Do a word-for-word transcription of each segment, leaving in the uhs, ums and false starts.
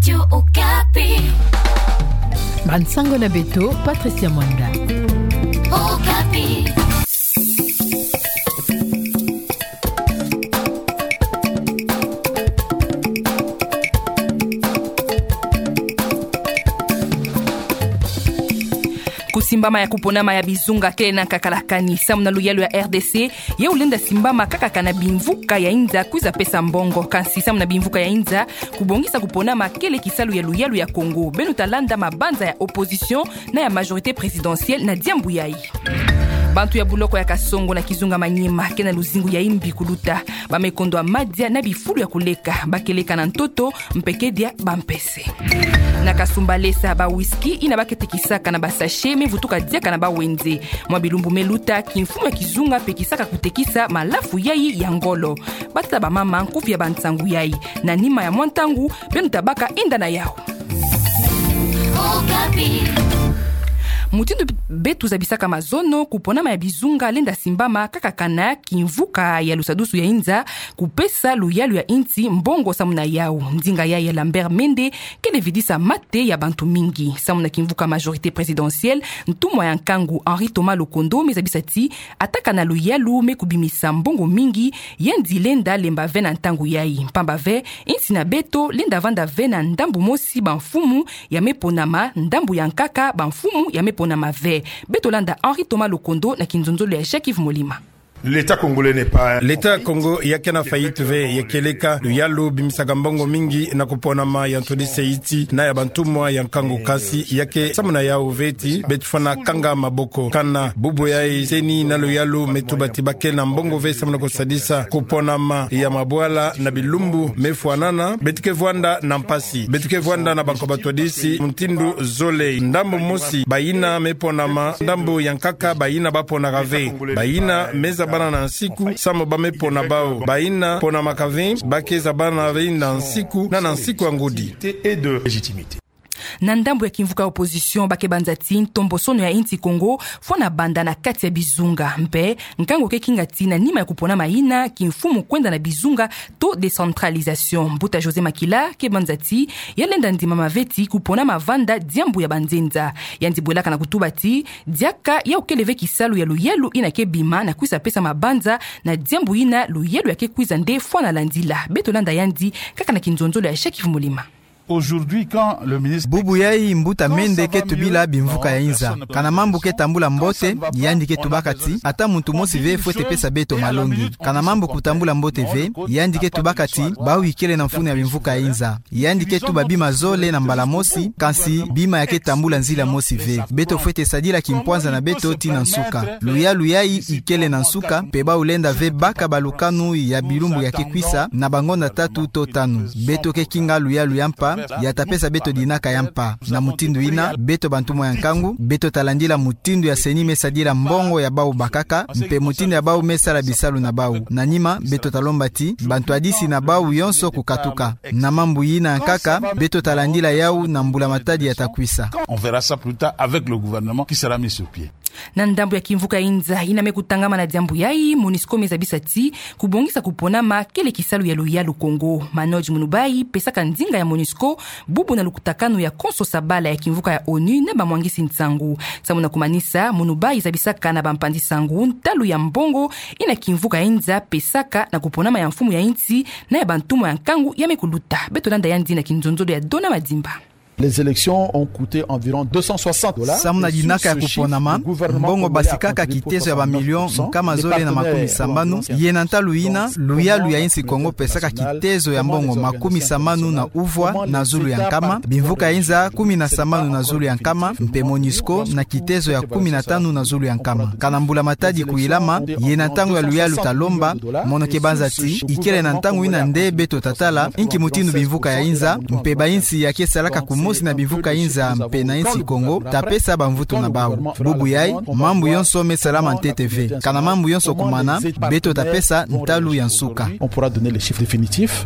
Radio Okapi. Bansango na beto, Patricia Mwanda. Okapi. Kusimbama ya kuponama ya bizunga kele na kakalakani. Samu na luyalu ya R D C, ye ulenda simbama kaka kana bimvuka ya inza kwiza pesa mbongo. Kansi samu na bimvuka ya inza, kubongisa kuponama kele kisalu ya luyalu ya Kongo. Beno talanda mabanza ya opposition na ya majorité présidentielle na diambu yayi. Bantu ya buloko ya Kasongo na kizunga Maniema ke na luzingu ya imbi kuluta. Ba me kondwa madia na bifulu ya kuleka. Ba ke leka na ntoto, mpe ke dia bampese. Na Kasumbalesa, ba whisky yina ba ke tekisaka na ba sachet me vutuka diaka na ba wenze. Mwa bilumbu me luta, kimfumu ya kizunga pekisaka kutekisa malafu yayi ya ngolo. Batata, bamama, nkufi ya bansangu yayi. Na nima ya mwa ntangu, beno tabaka yinda na yawu. Mutindu beto zabisaka mazono, kuponama ya bizunga lenda simbama kaka kana kimvuka ya lusadusu ya inza kupesa luyalu ya insi mbongo. Samu na yawu, ndinga yayi ya Lambert Mende kele vidisa mate ya bantu mingi. Samu na kimvuka majorité présidentielle, ntumwa ya nkangu Henri Thomas Lokondo me zabisa ti ata kana luyalu me kubimisa mbongo mingi, yandi lenda lemba ve na ntangu yayi. Mpamba ve, insi na beto lenda vanda ve na ndambu mosi bamfumu ya me ponama, ndambu ya nkaka bamfumu ya me ponama ve. Beto landa Henri Thomas Lokondo na kinzonzolo ya Jacques Yves Molima. L'État congolais n'est pas un... L'État Congo ya ke na faillite ve, ya ke leka. Luyalu bimisaka mbongo mingi na kuponama ya ntwadisi ya insi na ya bantumwa ya nkangu, kansi ya ke samu na yawu ve ti beto fwana kanga maboko. Kana bubu yayi, CENI na luyalu me tuba ti ba ke na mbongo ve samu na kusadisa kuponama ya mabwala na bilumbu me fwanana. Beto ke vwanda na mpasi, beto ke vwanda na bankoba twadisi mutindu zole. Ndambu mosi, bayina me ponama, ndambu ya nkaka, bayina ba ponaka ve. Bayina me zabana na nsiku, samu ba me pona bawu. Bayina ponamaka ve, ba ke zabana ve na nsiku, na, na nsiku ya ngudi. Et de légitimité. Na ndambu ya kimvuka ya opposition, ba ke banza ti ntombosono ya insi Kongo fwana banda na kati ya bizunga. Mpe nkangu ke kinga ti na nima ya kuponama yina, kimfumu kwenda na bizunga to décentralisation. Mbuta José Makila ke banza ti ya lenda ndimama ve ti kuponama vanda diambu ya banzenza. Yandi bwelaka na kutuba ti diaka yawu kele ve kisalu ya luyalu yina ke bima na kwisa pesa mabanza na diambu yina luyalu ya ke kwiza nde fwana landila. Beto landa yandi kaka na kinzonzolo ya Jacques Yves Molima. Aujourd'hui, quand le ministre... Bubu yayi, mbuta Mende ke tubila bimvuka ya inza. Kana mambu ke tambula mbote, yandi ke tubaka ti ata muntu mosi ve fwete pesa beto malongi. Kana mambu kutambula mbote ve, yandi ke tubaka ti bawu ikele na mfunu ya bimvuka ya inza. Yandi ke tuba bima zole na mbala mosi, kansi bima ya ke tambula nzila mosi ve. Beto fwete sadila kimpwanza na beto tii na nsuka. Luyalu yayi ikele na nsuka, mpe bawu lenda ve baka balukanu ya bilumbu ya ke kwisa na bangonda tatu to tanu. Beto ke kinga luyalu ya mpa, ya ta pesa beto dinaka ya mpa. Na mutindu yina, beto bantumwa ya nkangu, beto ta landila mutindu ya CENI me sadila mbongo ya bawu bakaka, mpe mutindu ya bawu me sala bisalu na bawu. Na nima, beto ta lomba ti bantwadisi na bawu yonso kukatuka. Na mambu yina ya nkaka, beto ta landila yawu na mbula-matadi ya ta kwisa. On verra ça plus tard avec le gouvernement qui sera mis sur pied. Na ndambu ya kimvuka ya inza yina me kutangama na diambu yayi, MONUSCO me zabisa ti kubongisa kuponama kele kisalu ya luyalu Kongo. Manoj Munubai pesaka ndinga ya MONUSCO bubu na lukutakanu ya konso sabala ya kimvuka ya ONU na bamwangisi nsangu. Samu na kumanisa, Munubai zabisaka na bampanzi-nsangu ntalu ya mbongo yina kimvuka ya inza pesaka na kuponama ya mfumu ya insi na ya bantumwa ya nkangu ya me kuluta. Beto landa yandi na kinzonzolo ya Dona Madimba. Les élections ont coûté environ deux cent soixante dollars. Samu na dinaka ya kuponama, mbongo basikaka kitezo ya bamilio nkama zole na makumi sambanu. Ye na ntalu yina, luyalu ya insi Kongo pesaka kitezo ya mbongo makumi sambanu na uvwa na zulu ya nkama, bimvuka ya inza kumi na sambanu na zulu ya nkama, mpe MONUSCO na kitezo ya kumi na tanu na zulu ya nkama. Kana mbula-matadi kuyilama, ye na ntangu ya luyalu ta lomba, mono ke banza ti ikele na ntangu yina nde beto ta tala inki mutindu bimvuka ya inza mpe bainsi ya ke salaka kumosi na bimvuka ya inza mpe na insi Kongo ta pesa bamvutu na bawu. Bubu yayi, mambu yonso me salama ntete ve. Kana mambu yonso kumana, beto ta pesa ntalu ya nsuka. On pourra donner les chiffres définitifs.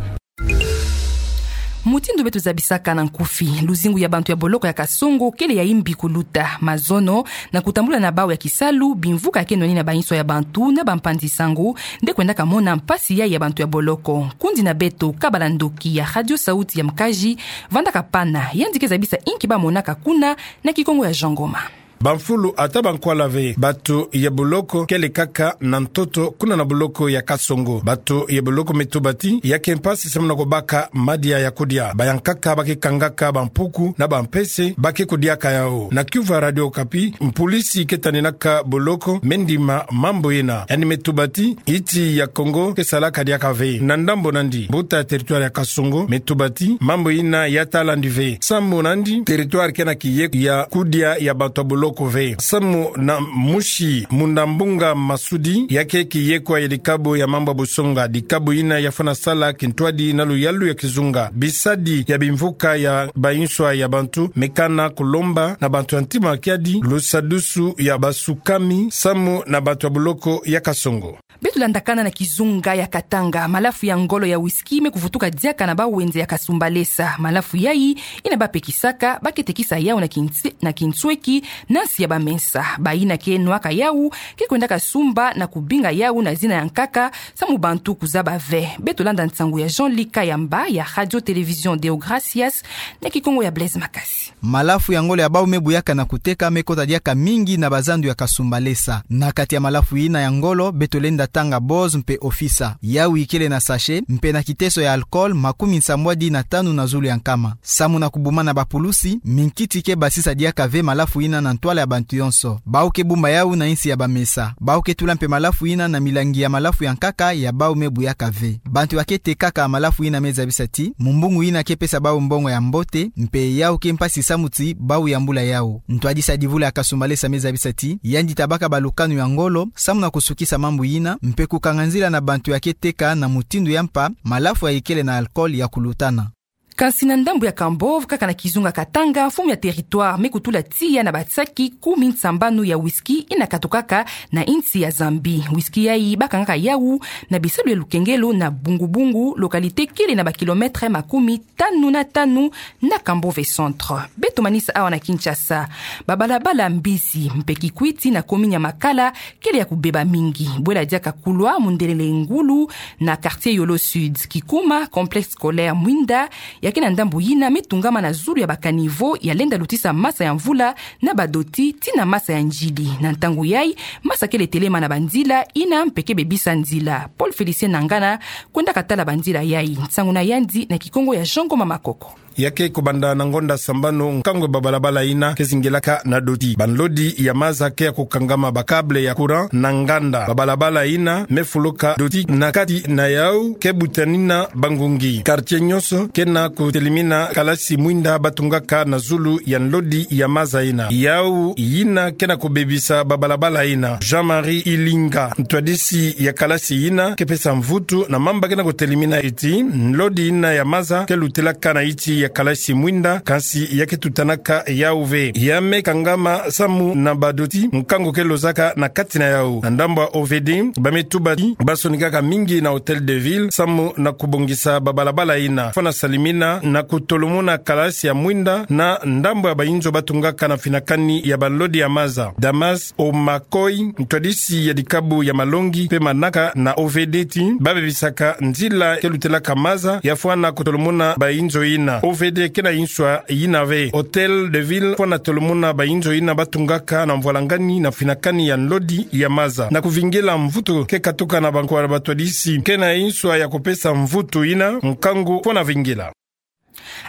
Mutindu beto zabisaka na nkufi, luzingu ya bantu ya boloko ya Kasongo kele ya imbi kuluta. Mazono, na kutambula na bau ya kisalu bimvuka ya ke nwani na bainso ya bantu na bampanzi-nsangu, nde kwendaka mona mpasi yayi ya bantu ya boloko. Nkundi na beto Kabala Ndoki ya Radio Sauti ya Mkazi vandaka pana, yandi ke zabisa inki ba monaka kuna na Kikongo ya Jean Ngoma. Bamfulu ata bankwala ve, bato ya boloko kele kaka na ntoto kuna na boloko ya Kasongo. Bato ya boloko me tuba ti ya ke mpasi samu na kubaka madia ya kudia. Bayankaka ba ke kangaka bampuku na bampese, ba ke kudiaka yau. Na kiuvu ya Radio Okapi, mpulisi ke taninaka boloko me ndima mambu ina. Yandi me tuba ti insi ya Kongo ke salaka diaka ve. Na ndambu nandi, mbuta ya territoire ya Kasongo me tuba ti mambu ina ya ta landi ve. Samu nandi, territoire ke na kiyeko ya kudia ya bato ya boloko ve. Samu na Musi Mundambunga Masudi, ya ke kiyeko ya dikabu ya mambu ya busonga, dikabu ina ya fwana sala kintwadi na luyalu ya kizunga. Bisadi ya bimvuka ya bainso ya bantu me kana kulomba na bantu ya ntima kiadi lusadusu ya basukami samu na bato ya boloko ya Kasongo. Beto landakana na kizunga ya Katanga, malafu ya ngolo ya whisky me kuvutuka diaka na bawenze ya Kasumbalesa. Malafu yayi ina ba pekisaka, ba ke tekisa yau na kintse-, na kinsweki na nsi ya bamesa. Bayina ke nwaka yau ke kwendaka sumba na kubinga yau na zina ya nkaka, samu bantu kuzaba ve. Beto landa nsangu ya Jean-Luc Kayamba ya Radio Télévision Deo Gracias, na Kikongo ya Blaise Makasi. Malafu ya ngolo ya bau me buyaka na kuteka me kota diaka mingi na bazandu ya Kasumbalesa. Na kati ya malafu ina ya ngolo, beto lenda tanga Boz mpe Officer. Yau ikele na sachet, mpe na kiteso ya alcool makumi nsambwadi na tanu na zulu ya nkama. Samu na kubumana bapulusi, minkiti ke basisa diaka ve malafu ina na ntwala ya bantu yonso. Bau ke bumba yau na insi ya bamesa. Bau ke tula mpe malafu ina na milangi ya malafu ya nkaka ya bau me buyaka ve. Bantu ba ke tekaka malafu ina me zabisa ti mumbungu ina ke pesa bau mbongo ya mbote, mpe yau ke mpasi samu ti bau yambula yau. Ntwadisi ya divula ya Kasumbalesa me zabisa ti yandi tabaka balukanu ya ngolo samu na kusukisa mambu ina, mpe kukanga nzila na bantu ya ke teka na mutindu ya mpa malafu ya ikele na alcool ya kulutana. Kansi na ndambu ya Kambove, kaka na kizunga Katanga, mfumu ya territoire me kutula tiya na basaki kumi nsambanu ya whisky ina katukaka na insi ya Zambie. Whisky yayi ba kangaka yau na bisalu ya lukengelo na Bungu-Bungu, localité kele na bakilometre makumi tanu na tanu na Kambove Centre. Beto manisa awa na Kinshasa. Babalabala Mbizi mpe Kikwit na commune ya Makala kele ya kubeba mingi. Bwela diaka kulwa mundelele ngulu na quartier Yolo Sud. Kikuma, complexe scolaire Mwinda, ya ke na ndambu ina me tungama na zulu ya bacaniveau ya lenda lutisa masa ya mvula na badoti tii na masa ya njili. Na ntangu yayi, masa kele telema na banzila ina mpe ke bebisa nzila. Paul Félicien Nangana kwendaka tala banzila yayi. Nsangu na yandi na Kikongo ya Jean Ngoma Makoko. Ya ke kubanda na ngonda sambanu nkangu ya babalabala ina ke zingilaka na doti. Banlodi ya maza ke ya kukangama bacâble ya courant na nganda. Babalabala ina me fuluka doti na kati na yau ke butanina bangungi. Quartier nyonso ke na kutelimina kalasi mwinda ba tungaka na zulu ya nlodi ya maza ina. Yau yina ke na kubebisa babalabala ina. Jean-Marie Ilinga, ntwadisi ya kalasi yina, ke pesa mvutu na mamba ke na kutelimina ti nlodi yina ya maza ke lutilaka na iti ya kalasi mwinda, kansi ya ke tutanaka yau ve. Ya me kangama samu na badoti nkangu ke lozaka na kati na yau. Na ndambu ya O V D, ba me tuba ti ba sonikaka mingi na Hôtel de Ville samu na kubongisa babalabala yina. Fwana salimina na kutolomuna kalasi ya mwinda na ndambu ya bainzo ba tungaka na finakani ya banlodi ya maza. Damas Omakoi, ntwadisi ya dikabu ya malongi mpe manaka na O V D ti ba bebisaka nzila ke lutilaka maza ya fwana kutolomuna bainzo yina. O V D ke na inswa yina ve. Hôtel de Ville fwana tolomuna bainzo yina ba tungaka na mvwalangani na finakani ya nlodi ya maza. Na kuvingila mvutu ke katuka na bankwala batwadisi ke na inswa ya kupesa mvutu yina, nkangu fwana vingila.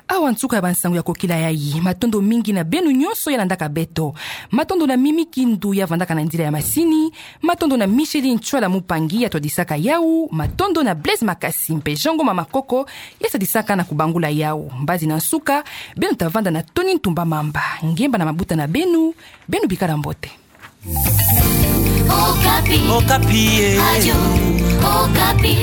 Awa nsuka ya bansangu ya kokila yayi. Matondo mingi na beno nyonso ya landaka beto. Matondo na Mimi Kindu ya vandaka na nzila ya masini. Matondo na Micheline Ntsoila Mupangi ya twadisaka yau. Matondo na Blaise Makasi mpe Jean Ngoma Makoko ya sadisaka na kubangula yau. Mbazi na nsuka, beno ta vanda na Tony Ntumba Mamba. Ngemba na mabuta na beno, beno bikala mbote. Okapi. Okapi, eh. Radio Okapi.